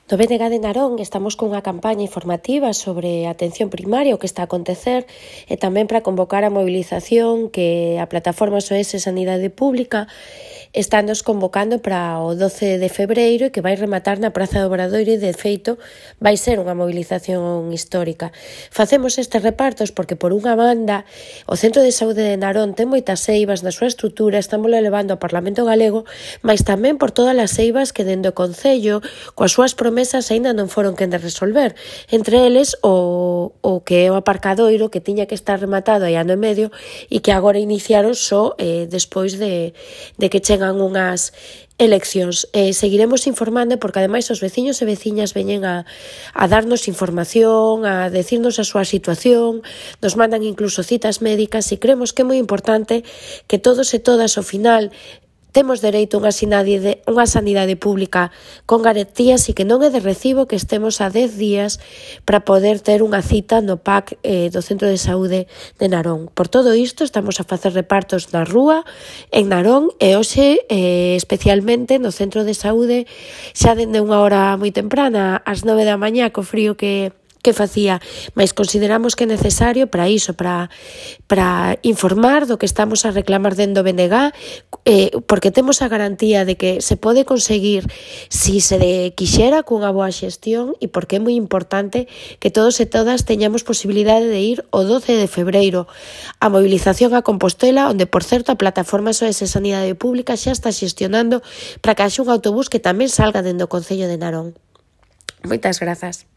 No BNG de Narón estamos cunha campaña informativa sobre a atención primaria, o que está a acontecer, e tamén para convocar a movilización que a plataforma SOS Sanidade Pública está nos convocando para o 12 de febreiro e que vai rematar na Praza do Obradoiro e, de feito, vai ser unha movilización histórica. Facemos estes repartos porque, por unha banda, o Centro de Saúde de Narón ten moitas eivas na súa estrutura, estamos levando ao Parlamento Galego, mas tamén por todas as eivas que dende o Concello, coas súas promesas, aínda non foron quen de resolver. Entre eles, o que é o aparcadoiro, que tiña que estar rematado hai ano e medio e que agora iniciaron só despois de que chegan unhas eleccións. Seguiremos informando porque ademais os veciños e veciñas veñen a darnos información, a decirnos a súa situación, nos mandan incluso citas médicas e creemos que é moi importante que todos e todas ao final temos dereito a unha sanidade pública con garantías e que non é de recibo que estemos a 10 días para poder ter unha cita no PAC do Centro de Saúde de Narón. Por todo isto estamos a facer repartos na rúa, en Narón e hoxe especialmente no Centro de Saúde xa dende unha hora moi temprana, ás 9 da mañá, co frío que facía, mas consideramos que é necesario para iso, para informar do que estamos a reclamar dentro do BNG, porque temos a garantía de que se pode conseguir si se quixera cunha boa xestión e porque é moi importante que todos e todas teñamos posibilidade de ir o 12 de febreiro a movilización a Compostela, onde, por certo, a plataforma SOS Sanidade Pública xa está xestionando para que haxa un autobús que tamén salga dentro do Concello de Narón. Moitas grazas.